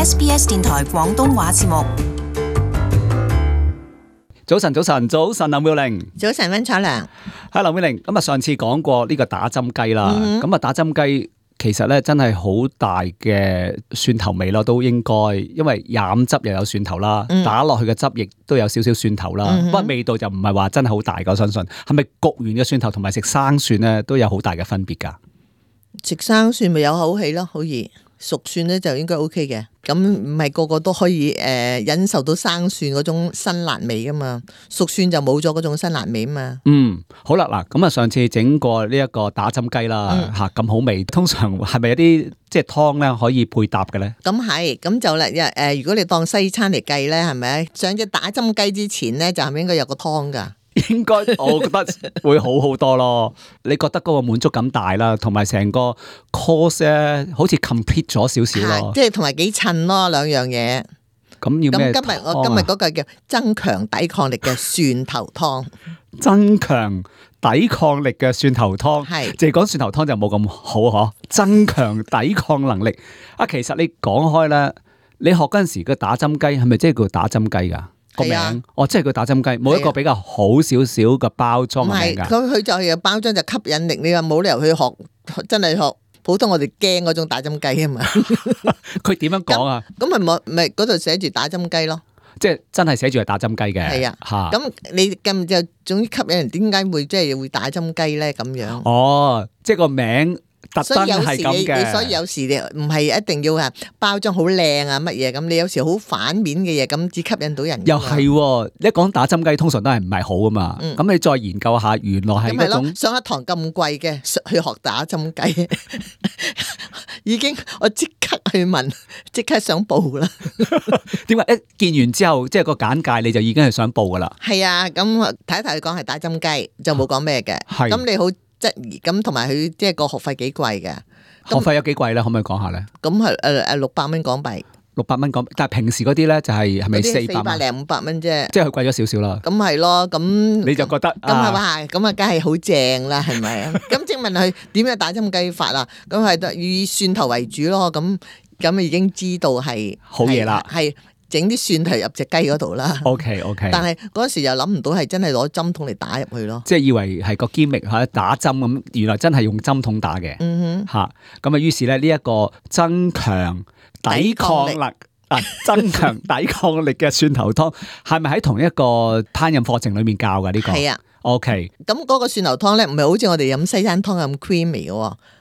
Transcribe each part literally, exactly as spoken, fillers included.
S B S 電台廣東話節目。早晨，早晨，早晨，林妙玲。早晨，溫楚良。係林妙玲。咁啊，上次講過呢個打針雞啦。咁啊、嗯，打針雞其實咧真係好大嘅蒜頭味咯，都應該，因為飲汁又有蒜頭啦，嗯、打落去嘅汁液都有少少蒜頭啦。不過、嗯、味道就唔係話真係好大嘅，我相信。係咪焗完嘅蒜頭同埋食生蒜咧都有好大嘅分別㗎？食生蒜咪有口氣咯，好易。熟蒜咧就應該 O K 嘅，咁唔係個個都可以誒、呃、忍受到生蒜嗰種辛辣味噶嘛，熟蒜就冇咗嗰種辛辣味啊嘛。嗯，好啦，嗱，咁啊上次整過呢一個打針雞啦，吓咁、嗯、好味，通常係咪有啲即係湯咧可以配搭嘅咧？咁係，咁就啦，誒、呃，如果你當西餐嚟計咧，係咪上隻打針雞之前咧，就係咪應該有個湯噶？應該我覺得會好好多咯，你覺得嗰個滿足感大啦，同埋成個 course 咧好似 complete 咗少少咯，即係同埋幾襯咯兩樣嘢。咁要咩湯啊？今日我今日嗰個叫增強抵抗力嘅蒜頭湯，增強抵抗力嘅蒜頭湯，係淨係講蒜頭湯就冇咁好嗬。增強抵抗能力啊，其實你講開咧，你學嗰陣時個打針雞係咪即係叫打針雞噶？個名、啊、哦，即係佢打針雞，冇一個比較好少少嘅包裝嘅名噶。佢佢就係包裝就吸引力，你話冇理由去學，真係學普通我哋驚嗰種打針雞啊嘛。佢點樣講啊？咁咪冇咪嗰度寫住打針雞咯。即係真係寫住係打針雞嘅。係啊，咁哈你咁就總之吸引人，點解會即係會打針雞咧？咁樣哦，即係個名。特登係咁嘅，所以有時你唔係一定要啊包裝好靚啊乜嘢咁，你有時好反面嘅嘢咁只吸引到人。又係、哦，一講打針雞通常都係唔係好啊嘛。咁、嗯、你再研究下，原來係嗰種上一堂咁貴嘅去學打針雞，已經我即刻去問，即刻想報啦。點解一見完之後，即係個簡介你就已經係想報噶啦？係啊，咁睇一睇佢講係打針雞，就冇講咩嘅。咁、啊、你好。質疑咁，同埋佢即係個學費幾貴嘅？學費有幾貴咧？可唔可以講下咧？咁係誒誒六百蚊港幣，六百蚊港幣，但係平時嗰啲咧就係係咪四百？四百零五百蚊啫，即係佢貴咗少少啦。咁係咯，咁你就覺得咁係嘛？咁啊，梗係好正啦，係咪啊？咁請問佢點樣打針雞法啊？咁係以蒜頭為主咯。咁咁已經知道係好嘢啦，係。整啲蒜頭入隻雞嗰度啦。OK OK。但係嗰時又諗唔到係真係攞針筒嚟打入去咯。即係以為係個 gimmick 嚇打針咁，原來真係用針筒打嘅。嗯哼。嚇咁啊，於是咧呢一個增強抵抗力啊，增強抵抗力嘅蒜頭湯係咪喺同一個烹飪課程裡面教㗎呢個？係啊。OK。咁嗰個蒜頭湯咧，唔係好似我哋飲西餐湯咁 creamy 嘅喎，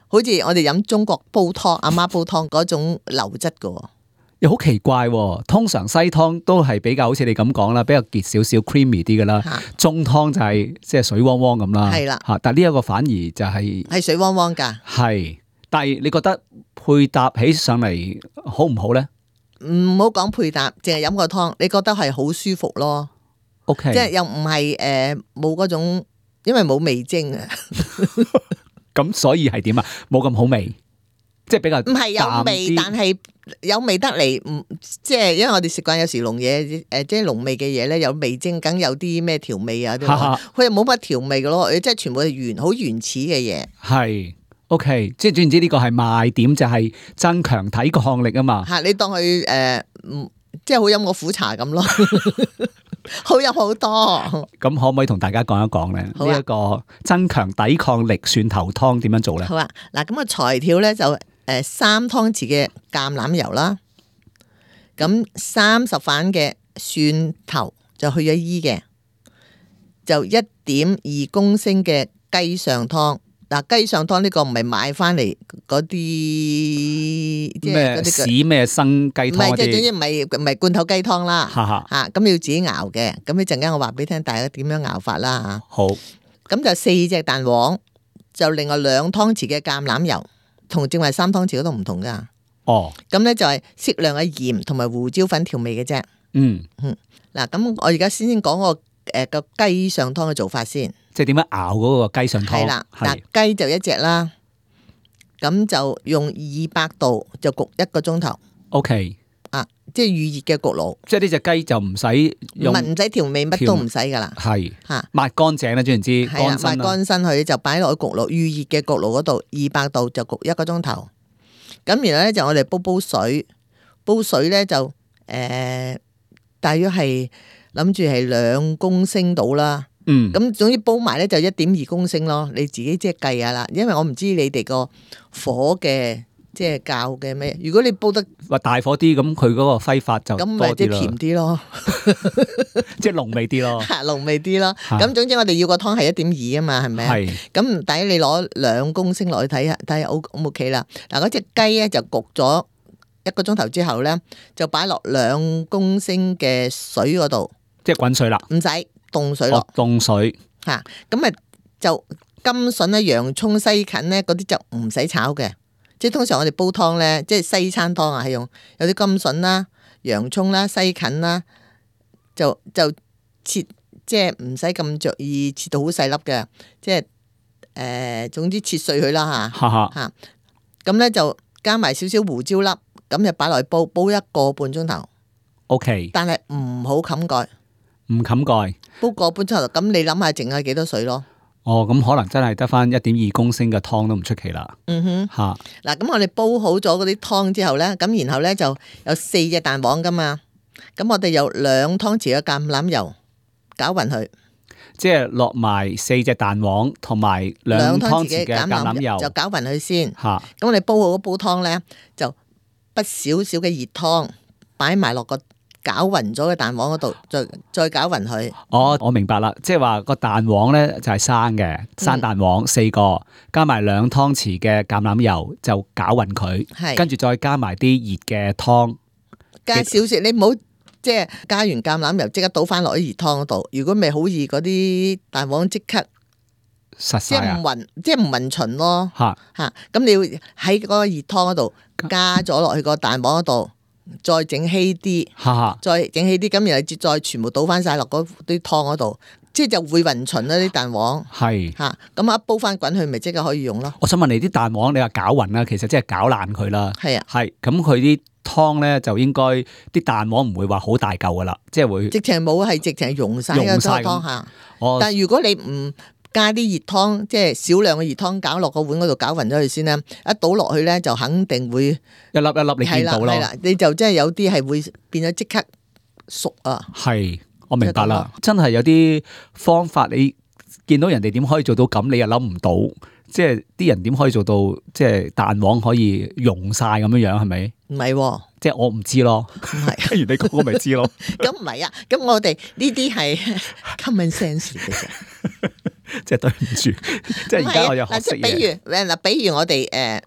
好似我哋飲中國煲湯阿媽煲湯嗰種流質嘅喎。又好奇怪喎，通常西湯都係比較好似你咁講啦，比較結少少 creamy 啲嘅啦。啊、中湯就係即係水汪汪咁啦。係啦，嚇！但係呢一個反而就係、是、係水汪汪㗎。係，但係你覺得配搭起上嚟好唔好咧？唔好講配搭，淨係飲個湯，你覺得係好舒服咯。OK，即係又唔係誒冇嗰種，因為冇味精啊。咁所以係點啊？冇咁好味。即係比較唔係有味，但係有味得嚟，唔即係因為我哋食慣有時濃嘢，誒即係濃味嘅嘢咧，有味精，梗有啲咩調味啊，佢又冇乜調味嘅咯，即係全部係原好原始嘅嘢。係 OK，即係總言之呢個係賣點就係增強抵抗力啊嘛。嚇，你當佢誒，即係好飲個苦茶咁咯，好飲好多。咁可唔可以同大家講一講咧？呢一個增強抵抗力蒜頭湯點樣做咧？好啊，嗱咁個材料咧就。誒，三湯匙嘅橄欖油啦，咁三十瓣嘅蒜頭就去咗衣嘅，就一點二公升嘅雞上湯。嗱，雞上湯呢個唔係買翻嚟嗰啲咩屎咩生雞湯，唔係即係總之唔係唔係罐頭雞湯啦。吓咁你要自己熬嘅。咁一陣間我話俾你聽，大家點樣熬法啦吓。好，咁就四隻蛋黃，就另外兩湯匙嘅橄欖油。同正話三湯匙嗰度唔同噶，哦，咁咧就係適量嘅鹽同埋胡椒粉調味嘅啫。嗯嗯，嗱，咁我而家先先講個誒個雞上湯嘅做法先，即係點樣熬嗰個雞上湯？係啦，嗱，雞就一隻啦，咁就用二百度就焗一個鐘頭。OK，啊，即係預熱嘅焗爐，即係呢隻雞就唔使用，唔唔使調味，乜都唔使噶啦，係吓抹乾淨啦，總言之，係啊，抹乾身佢就擺落去焗爐，預熱嘅焗爐嗰度，二百度就焗一個鐘頭。咁然後咧就我哋煲煲水，煲水咧就誒、呃，大約係諗住係兩公升到啦。嗯，咁總之煲埋咧就一點二公升咯，你自己即係計下啦。因為我唔知你哋個火嘅即係較嘅咩。如果你煲得話大火啲，咁佢嗰個揮發就多咁咪即係甜啲咯，即係濃味啲咯，濃味啲咯。咁總之我哋要個湯係一點二啊嘛，係咪啊？係。咁唔抵你攞兩公升落去睇下，睇下 O 唔 OK 啦。嗱，嗰隻雞咧就焗咗一個鐘頭之後咧，就擺落兩公升嘅水嗰度，即係滾水啦，唔使凍水落，凍水吓。咁啊就甘筍咧、洋葱、西芹咧嗰啲就唔使炒嘅。即係通常我哋煲湯咧，即係西餐湯啊，係用有啲甘筍啦、洋葱啦、西芹啦，就就切，即係唔使咁着意切到好細粒嘅，即係誒、呃，總之切碎佢啦吓吓。咁咧就加埋少少胡椒粒，咁就擺落去煲，煲一個半鐘頭。O K，但係唔好冚蓋，唔冚蓋，煲個半鐘頭。咁你諗下剩係幾多水咯？哦，咁可能真係得翻一點二公升嘅湯都唔出奇啦。嗯哼，吓嗱，咁我哋煲好咗嗰啲湯之後咧，咁然後咧就有四隻蛋黃噶嘛，咁我哋有兩湯匙嘅橄欖油攪勻佢，即係落埋四隻蛋黃同埋兩湯匙嘅橄欖油，就攪勻佢先。吓，咁我哋煲好嗰煲湯咧，就不少少嘅熱湯擺埋落個攪勻咗嘅蛋黃嗰度，再再攪勻佢。哦，我明白啦，即係話個蛋黃咧就係生嘅，生蛋黃四個，加埋兩湯匙嘅橄欖油就攪勻佢，跟住再加埋啲熱嘅湯，加少少，你唔好即係加完橄欖油即刻倒翻落啲熱湯嗰度。如果咪好易嗰啲蛋黃即刻實晒啊，即係唔勻，即係唔勻循咯。吓吓，咁你要喺嗰個熱湯嗰度加咗落去個蛋黃嗰度。再整稀啲，再整稀啲，咁然後再全部倒翻晒落嗰啲湯嗰度，即係就會勻循啦啲蛋黃。係吓，咁一煲翻滾佢，咪即刻可以用咯。我想問你啲蛋黃，你話攪勻啦，其實即係攪爛佢啦。係啊，係咁佢啲湯咧就應該啲蛋黃唔會話好大嚿噶啦，即係會直情冇係直情溶晒嘅湯吓。但係如果你唔加啲熱湯，即係少量嘅熱湯，攪落個碗嗰度攪勻咗佢先啦。一倒落去咧，就肯定會一粒一粒你見到咯。係啦，你就真係有啲係會變咗即刻熟啊。係，我明白啦。真係有啲方法，你見到人哋點可以做到咁，你又諗唔到。即係啲人點可以做到，即係蛋黃可以溶晒咁樣樣，係咪？唔係，即係我唔知咯。唔係，不如你講我咪知咯。咁唔係啊，咁我哋呢啲係 common sense 嘅啫。即係對唔住，即係而家我又學識嘢。比如嗱，比如我哋誒，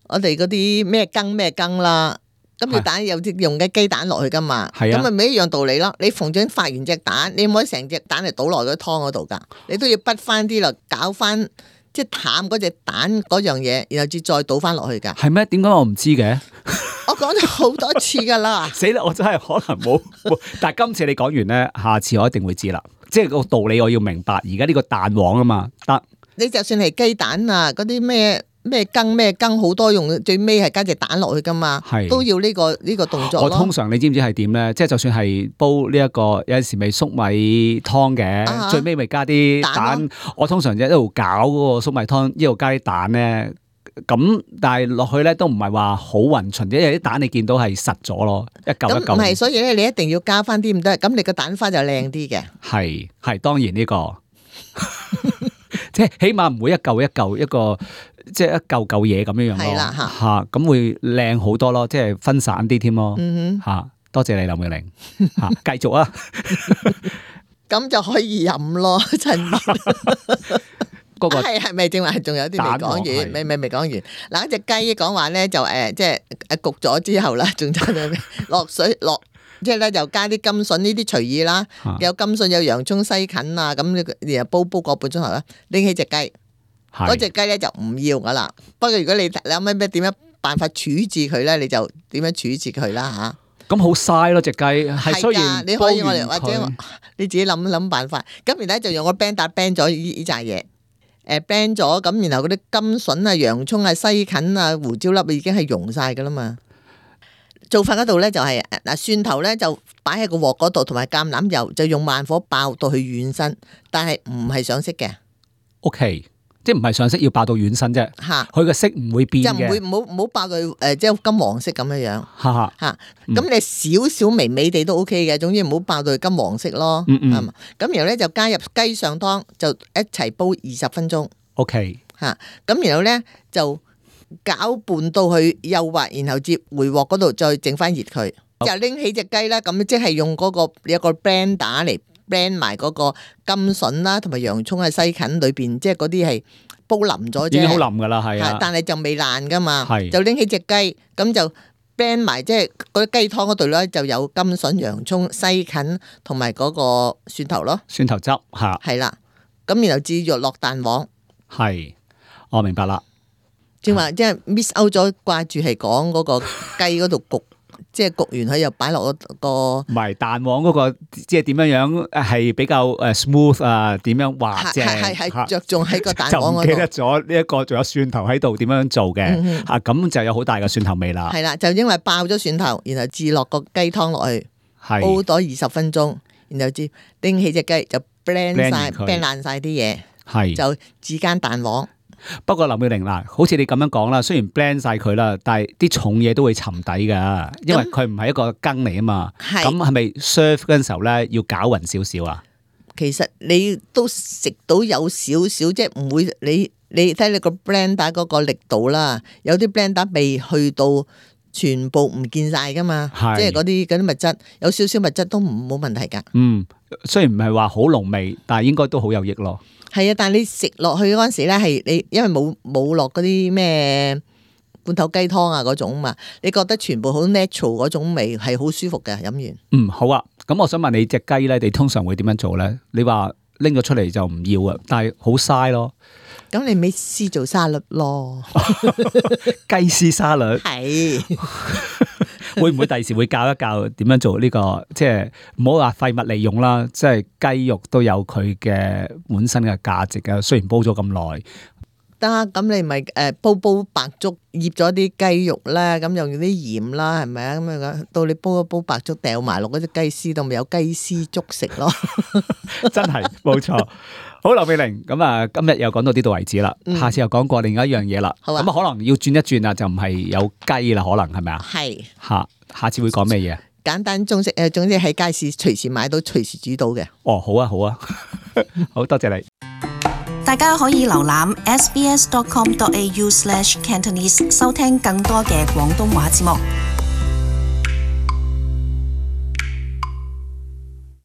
我哋嗰啲咩羹咩羹啦，咁你蛋有啲用嘅雞蛋落去噶嘛，咁咪咪一樣道理咯。你逢準發完隻蛋，你唔可以成隻蛋嚟倒落嗰湯嗰度噶，你都要滗翻啲落，攪翻即係淡嗰隻蛋嗰樣嘢，然後至再倒翻落去噶。係咩？點解我唔知嘅？我講咗好多次噶啦。死啦！我真係可能冇，但係今次你講完咧，下次我一定會知啦。即係個道理我要明白，而家呢個蛋黃啊嘛，得。你就算係雞蛋啊，嗰啲咩咩羹咩羹，好多用，最尾係加隻蛋落去噶嘛，都要呢個呢個動作咯。我通常你知唔知係點咧？即係就算係煲呢一個有陣時咪粟米湯嘅，啊、最尾咪加啲蛋。蛋我通常就一路搞嗰個粟米湯，一路加啲蛋咧。咁但係落去咧都唔係話好勻循，因為啲蛋你見到係實咗咯，一嚿一嚿。唔係，所以咧你一定要加翻啲唔得，咁你個蛋花就靚啲嘅。係係，當然呢個，即係起碼唔會一嚿一嚿一個，即係一嚿嚿嘢咁樣樣咯。係啦吓吓，咁會靚好多咯，即係分散啲添咯。嗯哼，吓多謝你林妙玲，吓繼續啊，咁就可以飲咯，陳。係係咪正話？仲有啲未講完，未未未講完。嗱，一隻雞講話咧就誒，即係誒焗咗之後啦，仲差咗落水落，即係咧就加啲甘筍呢啲隨意啦。有甘筍有洋葱西芹啊，咁然後煲煲個半鐘頭啦，拎起隻雞，嗰隻雞咧就唔要噶啦。不過如果你你有咩咩點樣辦法處置佢咧，你就點樣處置佢啦吓。咁好嘥咯隻雞，係雖然你可以我哋或者你自己諗諗辦法。咁然後就用個 band 打 band 咗呢呢扎嘢。誒 blend 咗咁，然後嗰啲甘筍啊、洋葱啊、西芹啊、胡椒粒已經係溶晒噶啦嘛。做法嗰度咧就係、是、嗱蒜頭咧就擺喺個鑊嗰度，同埋橄欖油就用慢火爆到去軟身，但係唔係上色嘅。O K，即係唔係上色要爆到軟身啫，佢個色唔會變嘅，就唔會唔好唔好爆到誒即係金黃色咁樣樣嚇嚇。咁你少少微微地都 O K 嘅，總之唔好爆到金黃色咯。嗯嗯。咁然後咧就加入雞上湯，就一齊煲二十分鐘。O K 嚇。咁然後咧就攪拌到佢幼滑，然後接回鑊嗰度再整翻熱佢，就拎起隻雞啦。咁即係用嗰個有個 blender 嚟 blend 埋嗰個甘筍啦，同埋洋葱喺西芹裏邊，即係嗰啲係煲腍咗啫，已經好腍噶啦，係啊，但係就未爛噶嘛，係就拎起隻雞，咁就 blend 埋，即係嗰啲雞湯嗰度咧就有甘筍、洋葱、西芹同埋嗰個蒜頭咯，蒜頭汁嚇，係啦，咁然後至落落蛋黃，係，我明白啦。正話即係 miss out 咗，掛住係講嗰個雞嗰度焗。即係焗完佢又擺落個唔係蛋黃嗰個，即係點樣樣係比較誒 smooth 啊？點樣滑正？係係係着重喺個蛋黃嗰度。就唔記得咗呢一個，仲有蒜頭喺度點樣做嘅嚇，咁就有好大嘅蒜頭味啦。係啦，就因為爆咗蒜頭，然後至落個雞湯落去，煲咗二十分鐘，然後至拎起隻雞就 blend 曬 blend 爛曬啲嘢，係就至間蛋黃。不過林妙玲嗱，好似你咁樣講啦，雖然 blend 晒佢啦，但係啲重嘢都會沉底噶，因為佢唔係一個羹嚟啊嘛。咁係咪 serve 嗰陣時候咧要攪勻少少啊？其實你都食到有少少，即係唔會你你睇你個 blender 嗰個力度啦，有啲 blender 未去到全部唔見晒噶嘛，即係嗰啲嗰啲物質有少少物質都唔冇問題噶。嗯，雖然唔係話好濃味，但係應該都好有益咯。係啊，但係你食落去嗰陣時咧，係你因為冇冇落嗰啲咩罐頭雞湯啊嗰種嘛，你覺得全部好 natural 嗰種味係好舒服嘅飲完。嗯，好啊，咁我想問你隻雞咧，你通常會點樣做咧？你話拎咗出嚟就唔要啊，但係好嘥咯。咁你咪試做沙律咯，雞絲沙律係。會唔會第時會教一教點樣做呢個？即係唔好話廢物利用啦，即係雞肉都有佢嘅本身嘅價值嘅。雖然煲咗咁耐，得咁你咪誒煲煲白粥，醃咗啲雞肉啦，咁又用啲鹽啦，係咪啊？咁樣到你煲一煲白粥，掉埋落嗰隻雞絲度，咪有雞絲粥食咯。真係冇錯。好，劉美玲，咁啊，今日又講到呢度為止啦，下次又講過另一樣嘢啦。咁啊，可能要轉一轉啊，就唔係有雞啦，可能係咪啊？係。下下次會講咩嘢？簡單中式誒，總之喺街市隨時買到，隨時煮到嘅。哦，好啊，好啊，好多謝你。大家可以瀏覽 s b s dot com dot a u slash cantonese 收聽更多嘅廣東話節目。